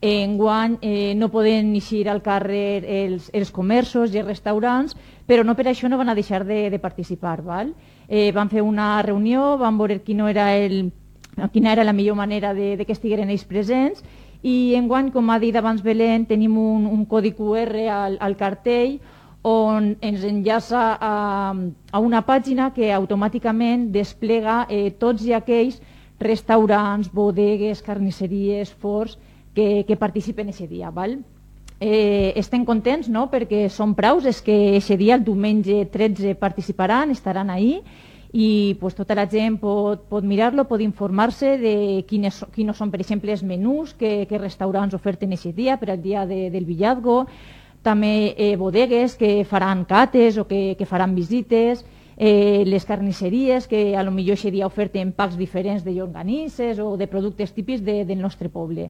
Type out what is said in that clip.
Enguany no poden eixir al carrer els comerços i els restaurants, però no per això no van a deixar de participar. Val? Van fer una reunió, van veure quina era la millor manera de que estigueren ells presents, i enguany, com ha dit abans Belén, tenim un codi QR al cartell on ens enllaça a una pàgina que automàticament desplega tots i aquells restaurants, bodegues, carnisseries, forns que participen aquest dia. Val? Estem contents, no?, perquè són praus, és que aquest dia, el diumenge 13, participaran, estaran ahí, i pues, tota la gent pot mirar-lo, pot informar-se de quins són, per exemple, els menús que restaurants oferten aquest dia, per al dia del Villazgo, també bodegues que faran cates o que faran visites, les carnisseries que a lo millor aquest dia oferten packs diferents de llonganisses o de productes típics del nostre poble.